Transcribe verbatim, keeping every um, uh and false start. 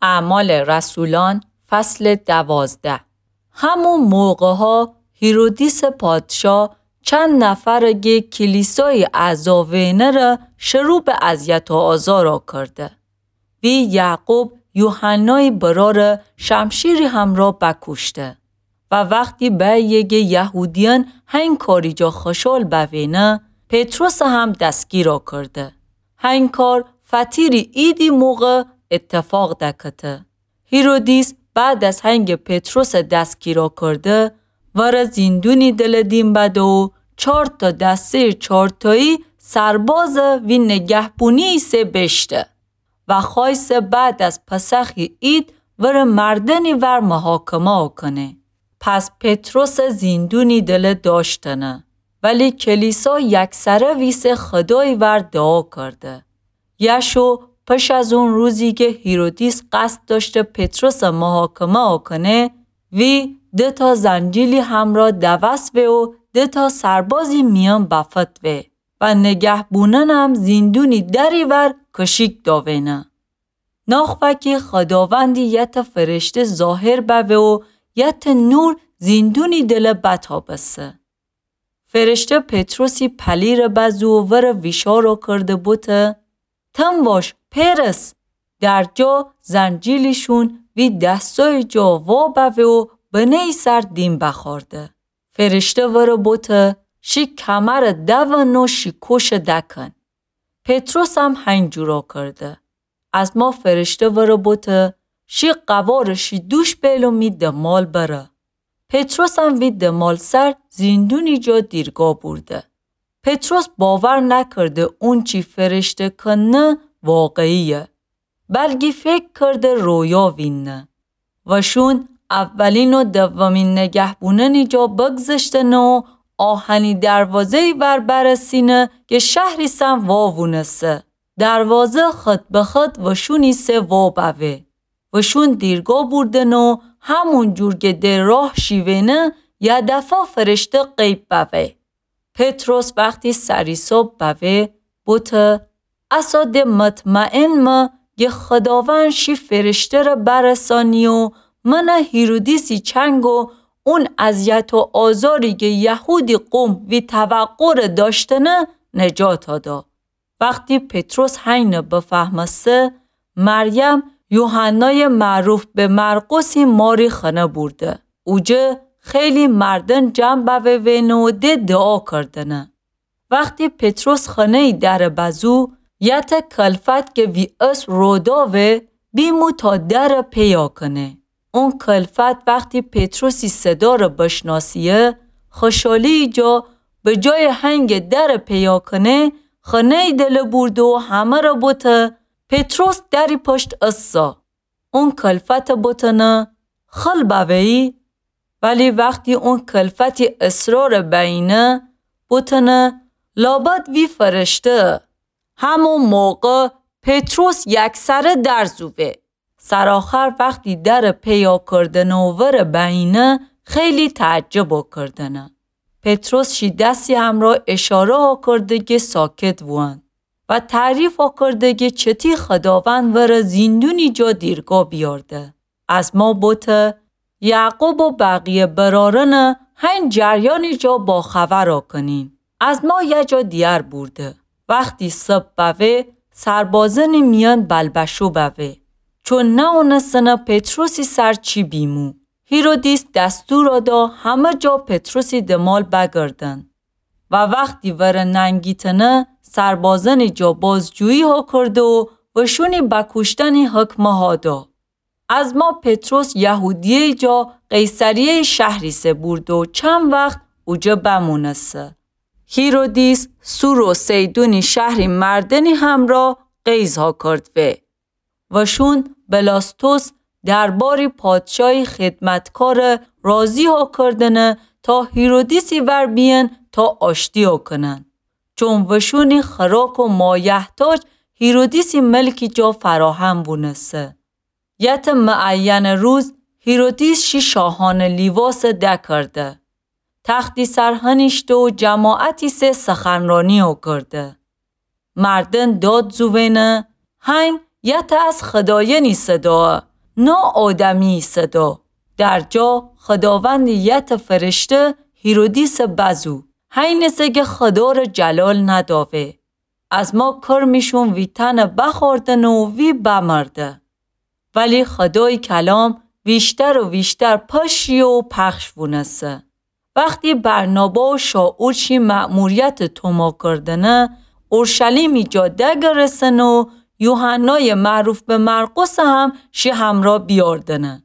اعمال رسولان، فصل دوازده. همون موقع‌ها هیرودیس پادشاه چند نفر گه کلیسای اعضا وینه ره شروع به اذیت و آزارا کرده. وی یعقوب یوحنای برار شمشیری همرا بکشته. و وقتی به یگه یهودیان هین کاری جا خشال بوینه، پطرس هم دستگیرا کرده. هین کار فطیری عیدی موقع اتفاق دکته. هیرودیس بعد از هنگ پطرس دستگیرا کرده، وره زیندونی دل دیم بده و چار تا دسته چارتایی سرباز وی نگهبونی سه بشته و خوایسه بعد از پسخی عید وره مردنی ور محاکمه کنه. پس پطرس زیندونی دل داشتنه، ولی کلیسا یکسره ویسه خدای ور دعا کرده. یشو پش از اون روزی که هیرودیس قصد داشته پطرس محاکمه کنه، وی ده تا زنجیلی همرا دوست وه و ده تا سربازی میان بفت وه و نگهبوننم زیندونی دری ور کشیک داوینه. ناخوکی خداوندی یت فرشته ظاهر بوه و یت نور زیندونی دل بتابسه. فرشته پطرسی پلیر بزو و ور ویشارا کرده بوته، تن واش، پرس! در جا زنجیلیشون وی دستای جا وا بوه و بنهی سر دیم بخارده. فرشته ور بوته، شی کمر دون و شی کوش دکن. پطرس هم هین جورا کرده. از ما فرشته ور بوته، شی قوار شی دوش بیل و می دمال بره. پطرس هم وی دمال سر زیندونی جا دیرگا بورده. پطرس باور نکرده اون چی فرشته کنه واقعیه، بلکی فکر کرده رویا وینه. وشون اولین و دومین نگهبوننی جا بگذشتنه و آهنی دروازه‌ای ور برسینه که شهریسن وا وونسه. دروازه خط به خط وشونی سه وا بوه. وشون دیرگا بوردنه و همون جور که در راه شیوینه، یه دفعه فرشته غیب بوه. پطرس وقتی سریساب بوه، بوته، اسا ده مطمئن مه گه خداوند شی فرشته ره برسانی و من هیرودیسی چنگ و اون اذیت و آزاری گه یهودی قوم وی توقع ره داشتنه نجات دا. وقتی پطرس هین بفهمسته، مریم یوحنای معروف به مرقسی ماری خنه بورده. اوجه خیلی مردن جمع بوه وینه و ده دعا کردنه. وقتی پطرس خنه‌ی در بزو، یت کلفت که وی اس رودا وه، بیمو تا در پیا کنه. اون کلفت وقتی پطرسی صدا ره بشناسیه، خوشحالی جا به جای هنگ در پیا کنه، خنه‌ی دل بورده و همه ره بوته، پطرس دری پشت اسا. اون کلفت بوتنه، خل بوهی؟ ولی وقتی اون کلفتی اصرار بینه، بوتنه، لابد وی فرشته. همون موقع پطرس یکسره در زوه. سرآخر وقتی در پیا کردنه و ور بینه، خیلی تعجب کردنه. پطرس شی دستی همرا اشاره ها کرده که ساکت وان و تعریف ها کرده که چتی خداوند ور زیندونی جا دیرگا بیارده. از ما بوته، یعقوب و بقیه برارن هین جریانی جا با خبر کنین. از ما یه جا دیار بورده. وقتی صبح بوه، سربازن میان بلبشو بوه. چون ناونستنه پطرسی سر چی بیمو. هیرودیس دستور دا همه جا پطرسی دمال بگردن. و وقتی ور ننگیتنه، سربازن جا بازجویی ها کرده و وشونی بکشتنی حکم ها دا. از ما پطرس یهودیه جا قیصریه شهری سه برده و چند وقت اوجه بمونسه. هیرودیس سور و سیدونی شهری مردنی همرا قیض ها کرد وه. وشون بلاستوس درباری پادشاهی خدمتکار راضی ها کردنه تا هیرودیسی ور بیین تا آشتی ها کنن. چون وشونی خوراک و مایحتاج هیرودیسی ملکی جا فراهم بونسه. یت معین روز هیرودیس شی شاهان لیواس دکرده. تختی سر هنیشته و جماعتی سه سخنرانی ها کرده. مردن داد زوینه، هین یت از خداینی صدا، ناآدمی صدا. در جا خداوند یه ته فرشته هیرودیس بزو، هینه سه که خدا را جلال نداوه. از ما کرمیشون وی تنه بخوردنه و وی بمرده. ولی خدای کلام ویشتر و ویشتر پشی و پخش وونسه. وختی برنابا و شائول شی مأموریت توما کردنه، اورشلیمی جا دگرسنه و یوحنای معروف به مرقس هم شی همرا بیاردنه.